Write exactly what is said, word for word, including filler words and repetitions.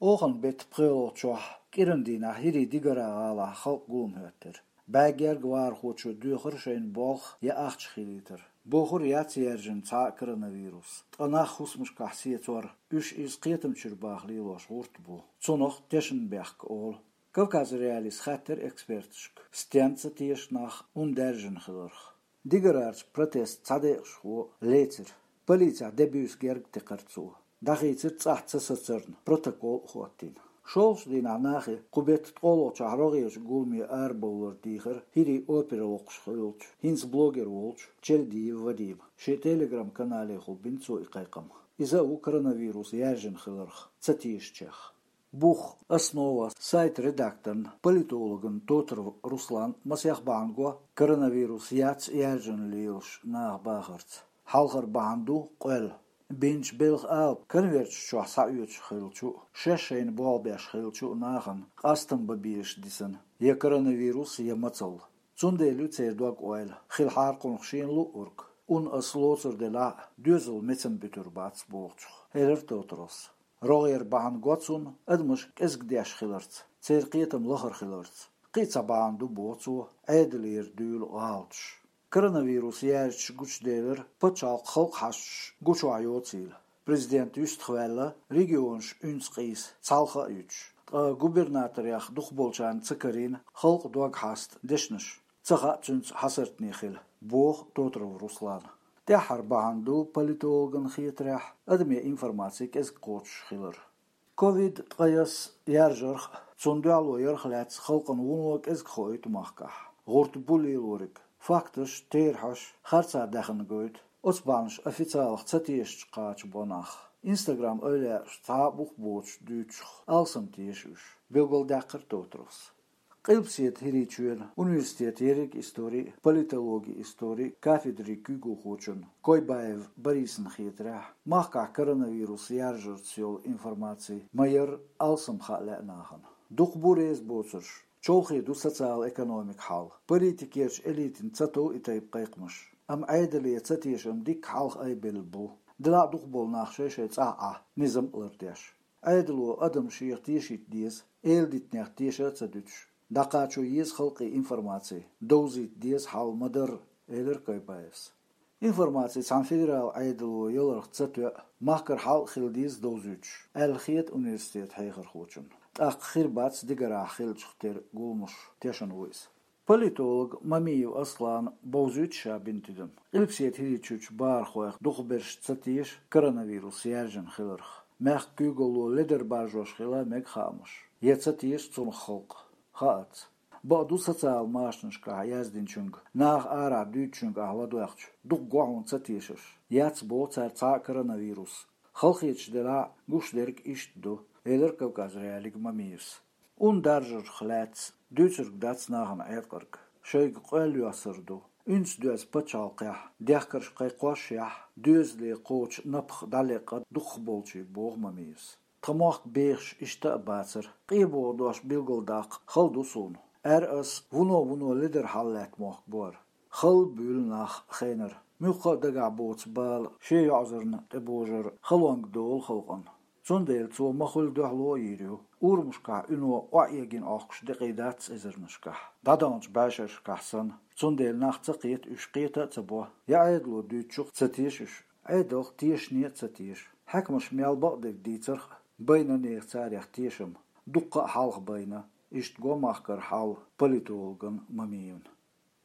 Охан бетта пхоьалгӀачохь кӀиран дийнахь ХӀирийн Дигара гӀалахь халкъ гулам хӀоьттира. БӀаь герга вахархочо доьхура шайна болх я ахча хилийтар. Бохур яц яьржина цхьа а коронавирус. Ткъа нах хӀусамашкахь сецор, уьш иза кхетамчуьра баха лелош гӀурт бу. Цунах тешнабехк олу. Кавказ.Реалиис хаьттира эксперташка, стенна ца теша нах, хӀунда даьржина хиларх. Дигарарчу протестан цхьа декъашхо лецира. Полицехь де-буьйса герга текхира цо. ДӀахийцира цӀахь ца сацарна, протокол а хӀоттийна. ШолгӀачу дийнахь нахе кху бетта ткъолгӀачохь рогӀерчу гуламе арабовлар дийхира ХӀирийн опера воккхуш хиллачу, хӀинца блогер волчу Челдиев Вадима. Шен Telegram-каналехула бина цо и кхайкхам. Иза а ву коронавирус яьржина хиларх ца тешачех. Бух, Основа сайтан редакторна, политологна Тотаров Руслана масех бахьана го коронавирус яц яьржина лелаш наха бахарца. Хьалхара бахьана ду къоьлла. Бинчу белхан алапа конверташ чохь схьаоьцуш хиллачу а, шаьш шайна болх беш хиллачу а нахана къастам бан безаш дисина я коронавирус, я мацалла. Цундела ю церан дог-ойла, хилахьара кхунах шена луъург. Ун ас лоцур делахь а, доьзал мецам буьтур бац бохучух, элира Тотаровс. РогӀера бахьана го цунна адамаш кӀезиг деш хиларца, церан кхетам лахара хиларца. Кхин а цхьа бахьана ду, боху цо, Ӏедалера дуьйлу гӀалаташ. Коронавирус яьржича гучуделира пачхьалкхан халкъан хьашташ гучохь йоцийла. Президент юьстах ваьлла, регионаш уьнца къийса, цхьалха а юьтуш. Ткъа губернаторех дукхахболчарна ца карийна халкъан дог хьаста дешнаш. Ца хаьа цуьнца хьасартане хила, боху Тотаров Руслана. ТӀаьххьара бахьана ду, политологна хетарехь, адаме информаци кӀезиг кхочуш хилар. Ковид ткъаесна яьржарх а, цунна дуьхьало ярх а лаьцна халкъана вуно кӀезиг хоуьйту махкахь. ГӀурт бу лелориг. Факташ, терахьаш харцахьа даьхна гойту оцу бахьанаш официалах ца тешачу кхача бо нах. Instagram-эвлаяаша цхьа а бух боцуш дуьйцучух алсам теша уьш, билгалдаьккхира Тотаровс. Къилбаседа ХӀирийчоьнан университетан ерриг историн а, политологин историн а кафедрин куьйгалхочунна Койбаев Борисна хетарехь, махкахь коронавирус яьржарца йолу информаци ма-ярра алсам хаа лаьа нахана. Дукха бу реза боцурш, чолхе ду социал-экономикан хьал, политикерчу элитина ца тов и тайпа кхайкхамаш. Амма Ӏедале ца тешам дикка хьалха айбелла бу. Делахь а дукхахболу нах шай-шайн цӀахь Ӏа, низам а лардеш. Ӏедало адам шех тешийта деза, эладитанех теша а ца дуьтуш. ДӀакхачо еза халкъе информаци, довзийта деза хьал ма-дарра, элира Койбаевс. Информаци цхьана федералан Ӏедало яларх ца тоьа, махкара хьал а хила деза довзуьйтуш, аьлла хета университетан хьехархочунна. ТӀаккха хир бац дигарахь хиллачух тера гуламаш, тешна ву иза. Политолог Мамиев Аслана бовзуьйту ша бина тидам. Къилбаседа ХӀирийчуьрчу бахархойх дукхахберш ца теша коронавирус яьржина хиларх. Мехкан куьйгалло ледар баржош хила мега хаамаш. Я ца теша цунах халкъ? Хаац. Бакъду, социал машанашкахь яздинчуьнга, наха арахь дуьйцучуьнга ахь ладоьгӀча, дукха го хьуна ца тешарш. Яц боху цара цхьа а коронавирус. Халахеташ делахь а, гуш дерг иштта ду, элира Кавказ.Реалиига Мамиевс. Ун даржарх лаьцна дуьйцург дац нахана Ӏеткъарг, шайга къоьлла йоссар ду. Уьнца доьзна пачхьалкхехь, дехкарш кхайкхошшехь, доьзале кхочу напха дӀалеккха дукхахболчий, боху Мамиевс. Тхан мохк бехаш иштта а бацара. КъебогӀу дош билгалдаккха хала ду суна. Ара ас вуно-вуно ледар хьалалаьтта мохк бу хӀара. Хала а буьйлу нах хенара. Муьлхха а дагахь боцу бала шен йоӀзарна тӀебожар халонга долу халкъана. Цундела цо ма-хуьллу дуьхьало а йийр ю. Урамашкахь уьно охьаэгина Ӏохкуш декъий дац эзарнашкахь. ДӀадаханчу бӀешерашкахь санна. Цундела нах ца кхета, уьш кхета а ца бо. Я Ӏедало дуьйцучух ца теша уьш, Ӏедалх тешане а ца теша. Хьаькамаш мел бакъдерг дийцарх а, байна нехан царех тешам, дуккха а хьалха байна. Иштта го махкара хьал политологна Мамиевна.